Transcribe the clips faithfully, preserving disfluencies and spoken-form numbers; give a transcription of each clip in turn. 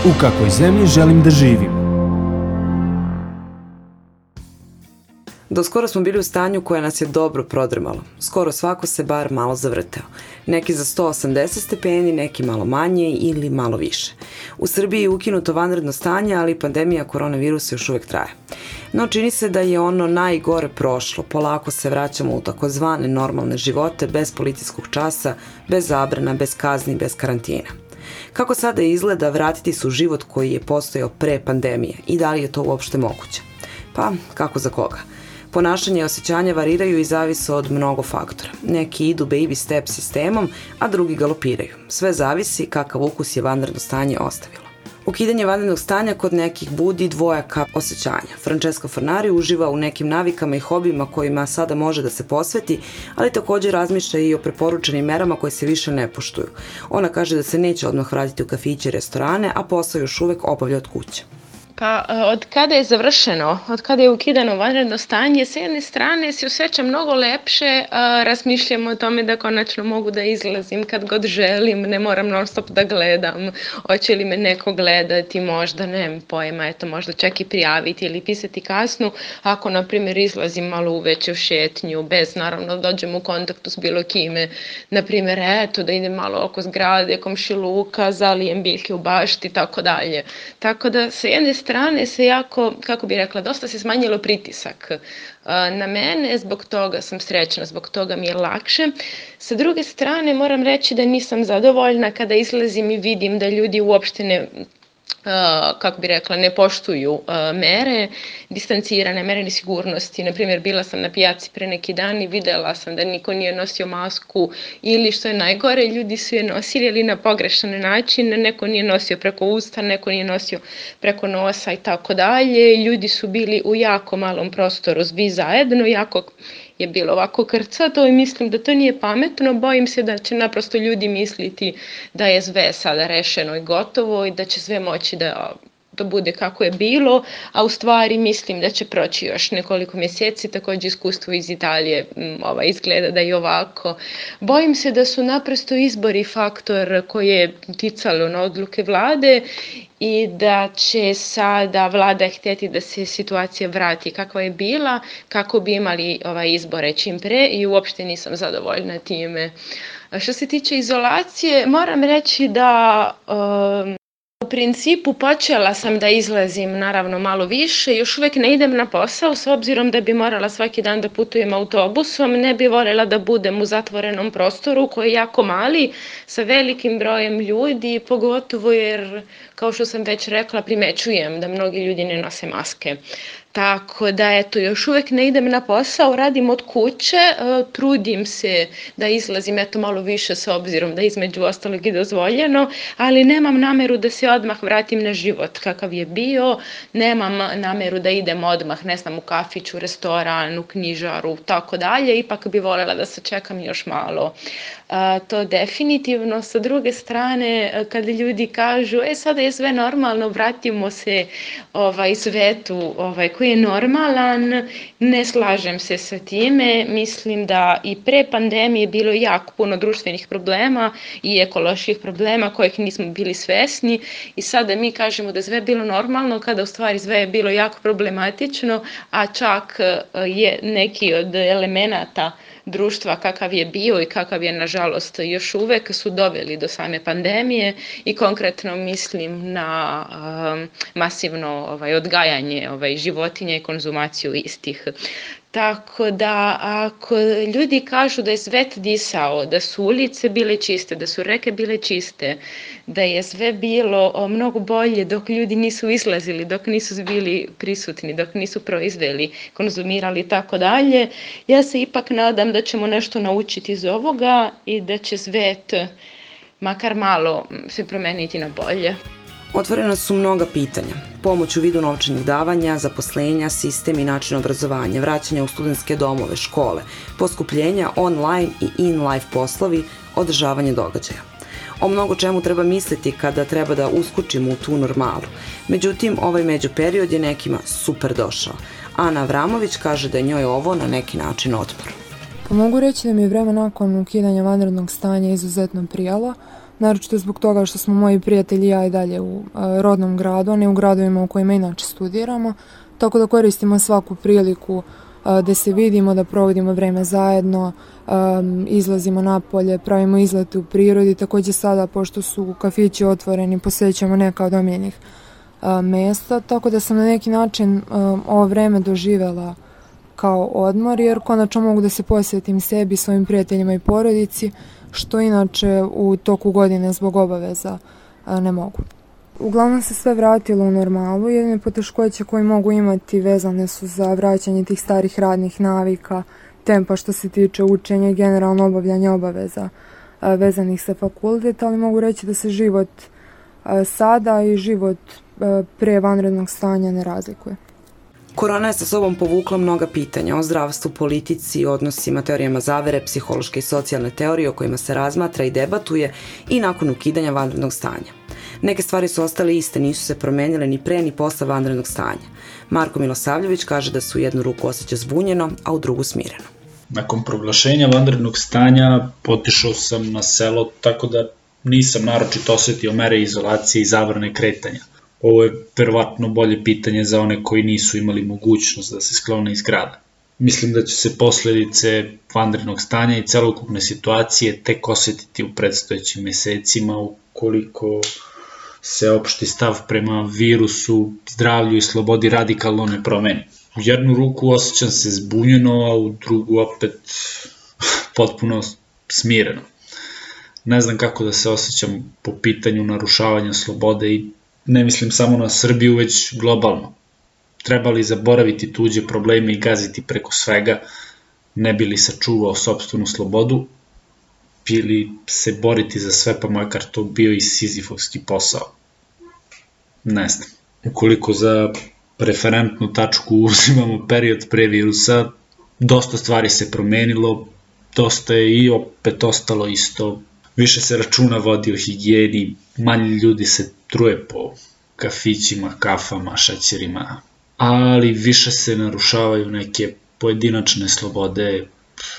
U kakvoj zemlji želim da živim? Do skoro smo bili u stanju koje nas je dobro prodrmalo. Skoro svako se bar malo zavrteo. Neki za sto osamdeset stepeni, neki malo manje ili malo više. U Srbiji je ukinuto vanredno stanje, ali pandemija koronavirusa još uvek traje. No čini se da je ono najgore prošlo. Polako se vraćamo u takozvane normalne živote, bez policijskog časa, bez zabrana, bez kazni, bez karantina. Kako sada izgleda vratiti se u život koji je postojao pre pandemije i da li je to uopšte moguće? Pa, kako za koga? Ponašanje i osjećanja variraju i zavise od mnogo faktora. Neki idu baby step sistemom, a drugi galopiraju. Sve zavisi kakav ukus je vanredno stanje ostavilo. Ukidanje vanrednog stanja kod nekih budi dvojaka osjećanja. Francesca Fornari uživa u nekim navikama i hobijima kojima sada može da se posveti, ali također razmišlja i o preporučenim merama koje se više ne poštuju. Ona kaže da se neće odmah vratiti u kafiće i restorane, a posao još uvek obavlja od kuće. Pa od kada je završeno, od kada je ukidano vanredno stanje, s jedne strane se osjećam mnogo lepše, a, razmišljam o tome da konačno mogu da izlazim kad god želim, ne moram non stop da gledam, hoće li me neko gledati, možda, nemam pojma, eto, možda čak i prijaviti ili pisati kasnu, ako, na primjer, izlazim malo uveče u šetnju, bez, naravno, dođem u kontaktu s bilo kime, na primjer, eto, da idem malo oko zgrade, komšiluka, zalijem biljke u bašti, tako dalje. Tako da, sa jedne strane se jako, kako bih rekla, dosta se smanjilo pritisak na mene, zbog toga sam srećna, zbog toga mi je lakše. Sa druge strane moram reći da nisam zadovoljna kada izlazim i vidim da ljudi uopšte ne, kako bih rekla, ne poštuju mere, distancirane, mere sigurnosti. Naprimjer, bila sam na pijaci pre neki dan i videla sam da niko nije nosio masku ili, što je najgore, ljudi su je nosili, ali na pogrešan način, neko nije nosio preko usta, neko nije nosio preko nosa i tako dalje. Ljudi su bili u jako malom prostoru, svi zajedno, jako je bilo ovako krcato i mislim da to nije pametno. Bojim se da će naprosto ljudi misliti da je sve sada rešeno i gotovo i da će sve moći da, da bude kako je bilo, a u stvari mislim da će proći još nekoliko mjeseci. Također iskustvo iz Italije ova, izgleda da je ovako. Bojim se da su naprosto izbori faktor koji je ticalo na odluke vlade i da će sada vlada htjeti da se situacija vrati kakva je bila, kako bi imali ovaj izbore čim pre i uopšte nisam zadovoljna time. Što se tiče izolacije, moram reći da um, u principu počela sam da izlazim naravno malo više, još uvijek ne idem na posao s obzirom da bi morala svaki dan da putujem autobusom, ne bi voljela da budem u zatvorenom prostoru koji je jako mali sa velikim brojem ljudi, pogotovo jer, kao što sam već rekla, primećujem da mnogi ljudi ne nose maske. Tako da, eto, još uvijek ne idem na posao, radim od kuće, trudim se da izlazim, eto, malo više s obzirom da između ostalog je dozvoljeno, ali nemam nameru da se odmah vratim na život kakav je bio, nemam nameru da idem odmah, ne znam, u kafić, u restoran, u knjižaru, tako dalje, ipak bi voljela da se čekam još malo. A, to definitivno. Sa druge strane, kada ljudi kažu, e, sada je sve normalno, vratimo se ovaj, svetu ovaj, koji je normalan, ne slažem se sa time. Mislim da i pre pandemije bilo jako puno društvenih problema i ekoloških problema kojih nismo bili svesni i sada mi kažemo da sve je bilo normalno kada u stvari sve je bilo jako problematično, a čak je neki od elemenata društva kakav je bio i kakav je nažalost još uvek su doveli do same pandemije i konkretno mislim na um, masivno ovaj, odgajanje ovaj, životinja i konzumaciju istih. Tako da ako ljudi kažu da je svet disao, da su ulice bile čiste, da su reke bile čiste, da je sve bilo mnogo bolje dok ljudi nisu izlazili, dok nisu bili prisutni, dok nisu proizveli, konzumirali i tako dalje, ja se ipak nadam da ćemo nešto naučiti iz ovoga i da će svet makar malo se promeniti na bolje. Otvorena su mnoga pitanja. Pomoć u vidu novčanih davanja, zaposlenja, sistem i način obrazovanja, vraćanja u studentske domove, škole, poskupljenja, online i in-life poslovi, održavanje događaja. O mnogo čemu treba misliti kada treba da uskočimo u tu normalu. Međutim, ovaj međuperiod je nekima super došao. Ana Avramović kaže da je njoj ovo na neki način otpor. Pa mogu reći da mi je vreme nakon ukidanja vanrednog stanja izuzetno prijalo. naročito zbog toga što smo moji prijatelji i ja i dalje u rodnom gradu, a ne u gradovima u kojima inače studiramo, tako da koristimo svaku priliku da se vidimo, da provodimo vreme zajedno, izlazimo napolje, pravimo izlete u prirodi. Takođe sada, pošto su kafići otvoreni, posećamo neka od omiljenih mesta, tako da sam na neki način ovo vreme doživela kao odmor, jer konačno mogu da se posvetim sebi, svojim prijateljima i porodici, što inače u toku godine zbog obaveza ne mogu. Uglavnom se sve vratilo u normalu, jedine poteškoće koje mogu imati vezane su za vraćanje tih starih radnih navika, tempa što se tiče učenja i generalno obavljanja obaveza vezanih sa fakultet, ali mogu reći da se život sada i život pre vanrednog stanja ne razlikuje. Korona je sa sobom povukla mnoga pitanja o zdravstvu, politici, odnosima, teorijama zavere, psihološke i socijalne teorije o kojima se razmatra i debatuje i nakon ukidanja vanrednog stanja. Neke stvari su ostale iste, nisu se promenile ni pre ni posle vanrednog stanja. Marko Milosavljević kaže da se u jednu ruku osjeća zbunjeno, a u drugu smireno. Nakon proglašenja vanrednog stanja otišao sam na selo, tako da nisam naročito osetio mere izolacije i zabrane kretanja. Ovo je verovatno bolje pitanje za one koji nisu imali mogućnost da se sklone iz grada. Mislim da će se posledice vanrednog stanja i celokupne situacije tek osetiti u predstojećim mesecima ukoliko se opšti stav prema virusu, zdravlju i slobodi radikalno ne promeni. U jednu ruku osjećam se zbunjeno, a u drugu opet potpuno smireno. Ne znam kako da se osjećam po pitanju narušavanja slobode i ne mislim samo na Srbiju, već globalno. Treba li zaboraviti tuđe probleme i gaziti preko svega, ne bi li sačuvao sopstvenu slobodu, ili se boriti za sve, pa makar to bio i sizifovski posao. Ne znam. Ukoliko za referentnu tačku uzimamo period pre virusa, dosta stvari se promenilo, dosta je i opet ostalo isto. Više se računa vodi o higijeni, manje ljudi se truje po kafićima, kafama, šećerima, ali više se narušavaju neke pojedinačne slobode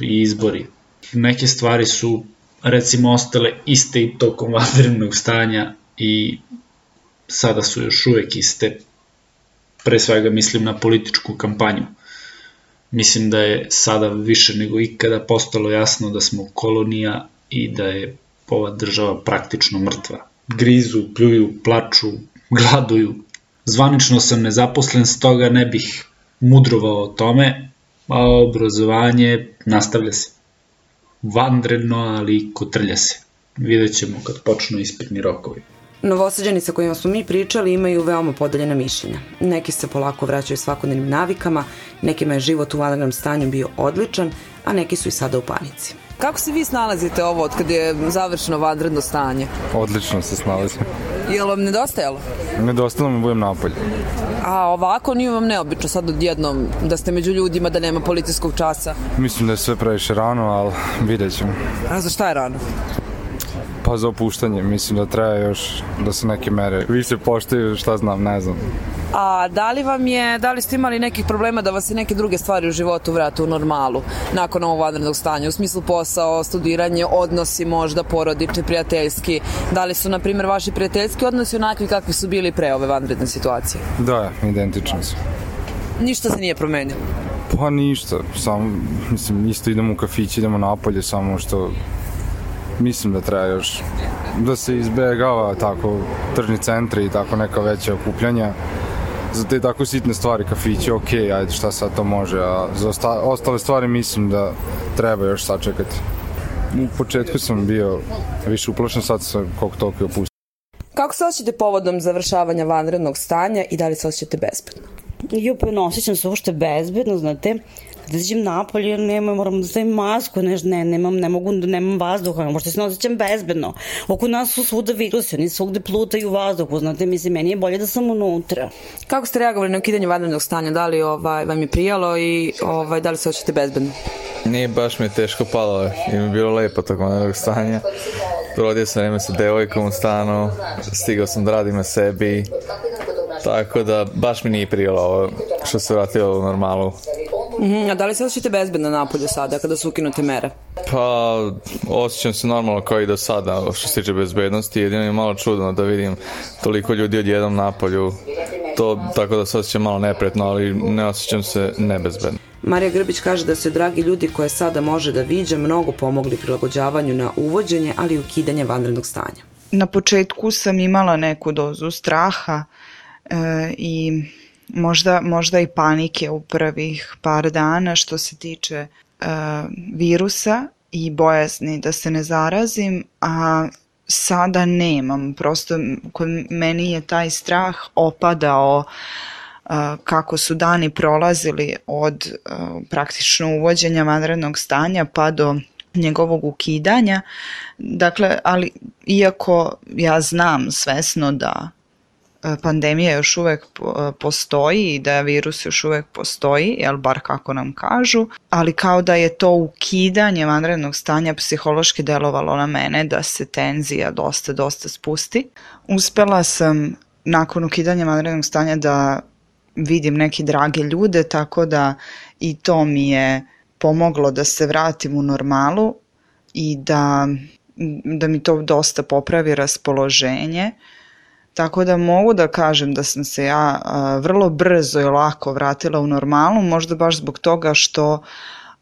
i izbori. Neke stvari su recimo ostale iste i tokom vanrednog stanja i sada su još uvek iste. Pre svega mislim na političku kampanju. Mislim da je sada više nego ikada postalo jasno da smo kolonija i da je ova država praktično mrtva. Grizu, pljuju, plaču, gladuju. Zvanično sam nezaposlen, stoga ne bih mudrovao o tome, a obrazovanje nastavlja se. Vanredno, ali kotrlja se. Vidjet ćemo kad počnu ispitni rokovi. Novosađani sa kojima smo mi pričali imaju veoma podeljena mišljenja. Neki se polako vraćaju svakodnevnim navikama, nekima je život u vanrednom stanju bio odličan, a neki su i sada u panici. Kako se vi snalazite ovo od kada je završeno vanredno stanje? Odlično se snalazim. Je li vam nedostajalo? Nedostajalo mi budem napolje. A ovako nije vam neobično sad odjednom da ste među ljudima, da nema policijskog časa? Mislim da je sve previše rano, ali vidjet ćemo. A za šta je rano? Pa za opuštanje, mislim da treba još da se neke mere više poštuju, šta znam, ne znam. A da li vam je, da li ste imali nekih problema da vas se neke druge stvari u životu vrate u normalu nakon ovog vanrednog stanja, u smislu posao, studiranje, odnosi možda porodični, prijateljski? Da li su, na primjer, vaši prijateljski odnosi onakvi kakvi su bili pre ove vanredne situacije? Da, identično su. Ništa se nije promenilo? Pa ništa, samo, mislim, isto idemo u kafić, idemo napolje, samo što mislim da treba još da se izbegava tako tržni centri i tako neka veća okupljanja. Za te tako sitne stvari, kafići, ok, ajde šta sad to može, a za osta- ostale stvari mislim da treba još sačekati. U početku sam bio više uplašen, sad sam koliko toliko opustio. Kako se osjećate povodom završavanja vanrednog stanja i da li se osjećate bezbedno? Jo, pa ne osjećam se uopšte bezbedno, znate. Da izađem napolje, nema, moram da stavim masku, ne, ne, nemam, ne mogu da nemam vazduha, možda se ne osjećam bezbedno. Oko nas su svuda virusi, oni svugde plutaju u vazduhu, znate, mislim, meni je bolje da sam unutra. Kako ste reagovali na ukidanje vanrednog stanja? Da li ovaj, vam je prijalo i ovaj, da li se osjećate bezbedno? Nije, baš mi je teško palo, i mi je bilo lepo tog vanrednog stanja. Provodio sam vreme sa devojkom u stanu, stigao sam da radim na sebi, tako da baš mi nije prijalo ovo što se vratilo u normalu. Mm-hmm. A da li se osjećate bezbedno napolju sada kada su ukinute mere? Pa, osjećam se normalno kao i do sada što se tiče bezbednosti, jedino je malo čudno da vidim toliko ljudi odjednom napolju, to tako da se osjećam malo nepretno, ali ne osjećam se nebezbedno. Marija Grbić kaže da su dragi ljudi koje sada može da viđa mnogo pomogli prilagođavanju na uvođenje, ali i ukidanje vanrednog stanja. Na početku sam imala neku dozu straha e, i možda, možda i panike u prvih par dana što se tiče e, virusa i bojazni da se ne zarazim, a sada nemam. Prosto kod meni je taj strah opadao kako su dani prolazili od praktično uvođenja vanrednog stanja pa do njegovog ukidanja. Dakle, ali iako ja znam svesno da pandemija još uvek postoji i da virus još uvek postoji, jel bar kako nam kažu, ali kao da je to ukidanje vanrednog stanja psihološki delovalo na mene da se tenzija dosta, dosta spusti. Uspela sam nakon ukidanja vanrednog stanja da vidim neke drage ljude, tako da i to mi je pomoglo da se vratim u normalu i da, da mi to dosta popravi raspoloženje. Tako da mogu da kažem da sam se ja a, vrlo brzo i lako vratila u normalu, možda baš zbog toga što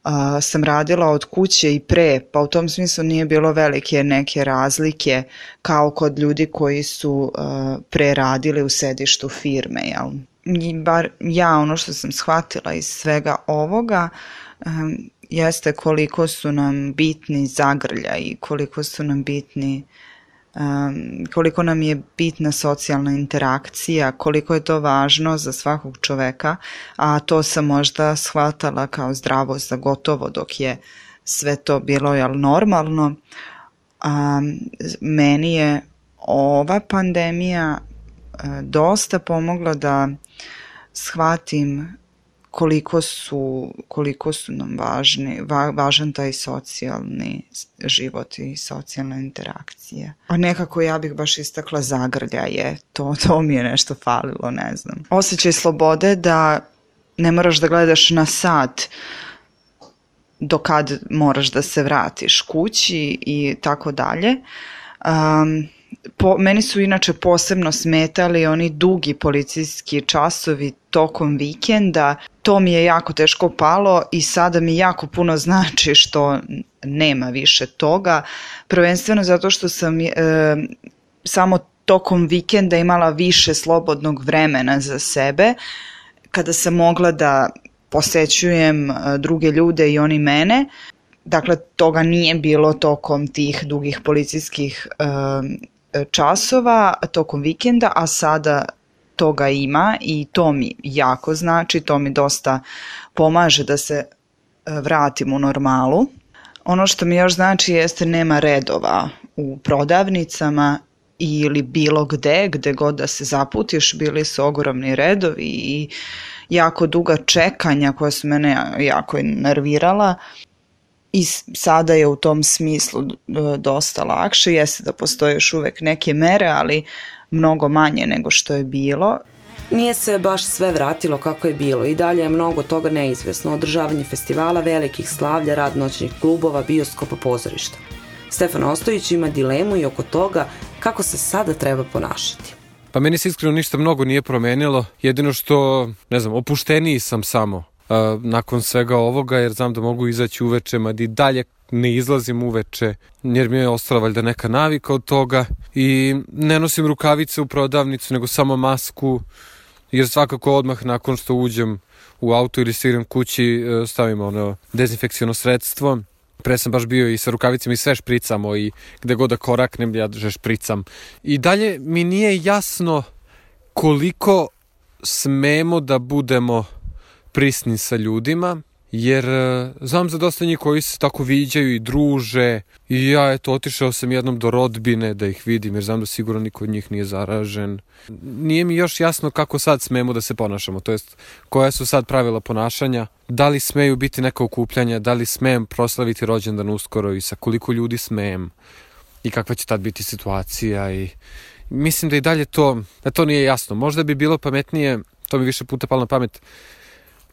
a, sam radila od kuće i pre, pa u tom smislu nije bilo velike neke razlike kao kod ljudi koji su a, pre radili u sedištu firme, jel? I bar ja ono što sam shvatila iz svega ovoga um, jeste koliko su nam bitni zagrljaji i koliko su nam bitni um, koliko nam je bitna socijalna interakcija, koliko je to važno za svakog čoveka, a to sam možda shvatala kao zdravo za gotovo dok je sve to bilo jel, normalno. Um, meni je ova pandemija dosta pomogla da shvatim koliko su, koliko su nam važni, va, važan taj socijalni život i socijalna interakcija. A nekako ja bih baš istakla zagrljaje, to, to mi je nešto falilo, ne znam. Osjećaj slobode da ne moraš da gledaš na sat do kad moraš da se vratiš kući i tako dalje. Um, Po, meni su inače posebno smetali oni dugi policijski časovi tokom vikenda, to mi je jako teško palo i sada mi jako puno znači što nema više toga, prvenstveno zato što sam e, samo tokom vikenda imala više slobodnog vremena za sebe, kada sam mogla da posećujem druge ljude i oni mene. Dakle, toga nije bilo tokom tih dugih policijskih e, časova tokom vikenda, a sada toga ima i to mi jako znači, to mi dosta pomaže da se vratim u normalu. Ono što mi još znači jeste nema redova u prodavnicama ili bilo gde, gde god da se zaputiš, bili su ogromni redovi i jako duga čekanja koja su mene jako nervirala. I sada je u tom smislu dosta lakše, jeste da postoje još uvek neke mere, ali mnogo manje nego što je bilo. Nije se baš sve vratilo kako je bilo i dalje je mnogo toga neizvesno. Održavanje festivala, velikih slavlja, rad noćnih klubova, bioskopa, pozorišta. Stefan Ostojić ima dilemu i oko toga kako se sada treba ponašati. Pa meni se iskreno ništa mnogo nije promenilo, jedino što, ne znam, opušteniji sam samo Uh, nakon svega ovoga, jer znam da mogu izaći uveče, mada i dalje ne izlazim uveče, jer mi je ostala valjda neka navika od toga i ne nosim rukavice u prodavnicu, nego samo masku, jer svakako odmah nakon što uđem u auto ili stigram kući stavim ono dezinfekciono sredstvo. Pre sam baš bio i sa rukavicama i sve špricamo i gde god da koraknem ja že špricam. I dalje mi nije jasno koliko smemo da budemo prisni sa ljudima, jer znam za dosta njih koji se tako viđaju i druže i ja eto otišao sam jednom do rodbine da ih vidim jer znam da sigurno niko od njih nije zaražen. Nije mi još jasno kako sad smemo da se ponašamo, to jest koja su sad pravila ponašanja, da li smeju biti neka okupljanja, da li smem proslaviti rođendan uskoro i sa koliko ljudi smem i kakva će tad biti situacija i mislim da i dalje to, da to nije jasno. Možda bi bilo pametnije, to mi više puta palo na pamet,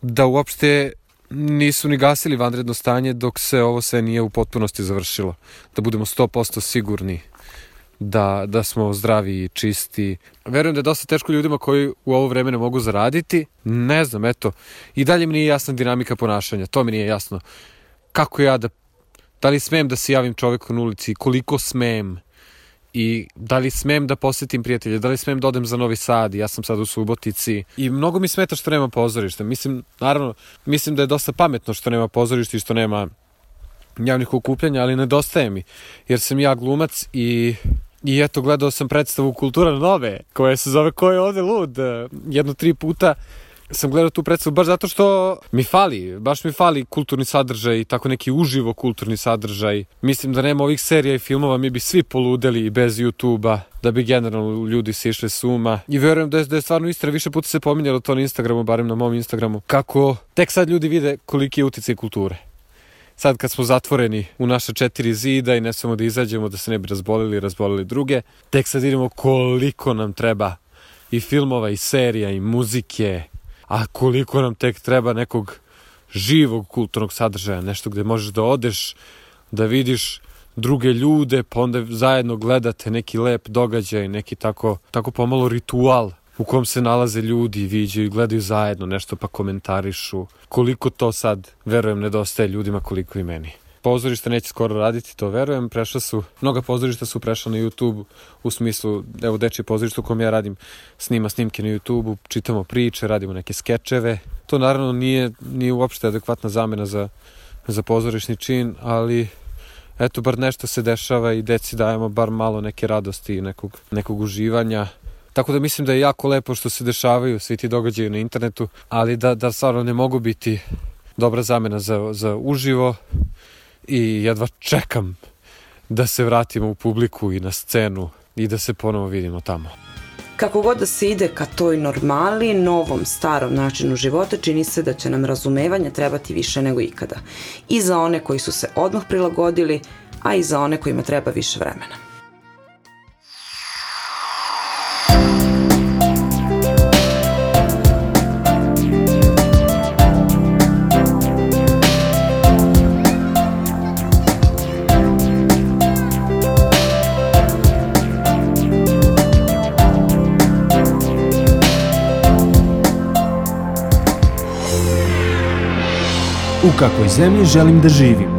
da uopšte nisu ni gasili vanredno stanje dok se ovo sve nije u potpunosti završilo. Da budemo sto posto sigurni da, da smo zdravi i čisti. Verujem da je dosta teško ljudima koji u ovo vreme ne mogu zaraditi. Ne znam, eto. I dalje mi nije jasna dinamika ponašanja. To mi nije jasno. Kako ja da... Da li smem da se javim čoveku na ulici? Koliko smem? I da li smem da posetim prijatelje? Da li smem da odem za Novi Sad? Ja sam sad u Subotici. I mnogo mi smeta što nema pozorišta. Mislim, naravno, mislim da je dosta pametno što nema pozorišta i što nema javnih okupljanja, ali nedostaje mi. Jer sam ja glumac i... I eto, gledao sam predstavu Kultura Nove, koja se zove Ko je ovde lud? Jedno tri puta sam gledao tu predstavu baš zato što mi fali, baš mi fali kulturni sadržaj i tako neki uživo kulturni sadržaj. Mislim da nema ovih serija i filmova, mi bi svi poludeli i bez YouTube-a, da bi generalno ljudi se išli s uma. I verujem da je, da je stvarno istina, više puta se pominjalo to na Instagramu, barem na mom Instagramu, kako tek sad ljudi vide koliki je uticaj kulture. Sad kad smo zatvoreni u naše četiri zida i ne samo da izađemo da se ne bi razbolili i razbolili druge, tek sad vidimo koliko nam treba i filmova i serija i muzike, a koliko nam tek treba nekog živog kulturnog sadržaja, nešto gde možeš da odeš, da vidiš druge ljude, pa onda zajedno gledate neki lep događaj, neki tako, tako pomalo ritual u kom se nalaze ljudi, viđaju i gledaju zajedno nešto pa komentarišu. Koliko to sad, verujem, nedostaje ljudima, koliko i meni. Pozorište neće skoro raditi, to verujem. Prešla su, mnoga pozorišta su prešla na YouTube, u smislu, evo dečje pozorište u kom ja radim, snima snimke na YouTube, čitamo priče, radimo neke skečeve. To naravno nije, nije uopšte adekvatna zamena za, za pozorišni čin, ali eto, bar nešto se dešava i deci dajemo bar malo neke radosti i nekog, nekog uživanja. Tako da mislim da je jako lepo što se dešavaju svi ti događaji na internetu, ali da, da stvarno ne mogu biti dobra zamena za, za uživo i jedva čekam da se vratimo u publiku i na scenu i da se ponovo vidimo tamo. Kako god da se ide ka toj normali, novom, starom načinu života, čini se da će nam razumevanje trebati više nego ikada. I za one koji su se odmah prilagodili, a i za one kojima treba više vremena. U kakvoj zemlji želim da živim?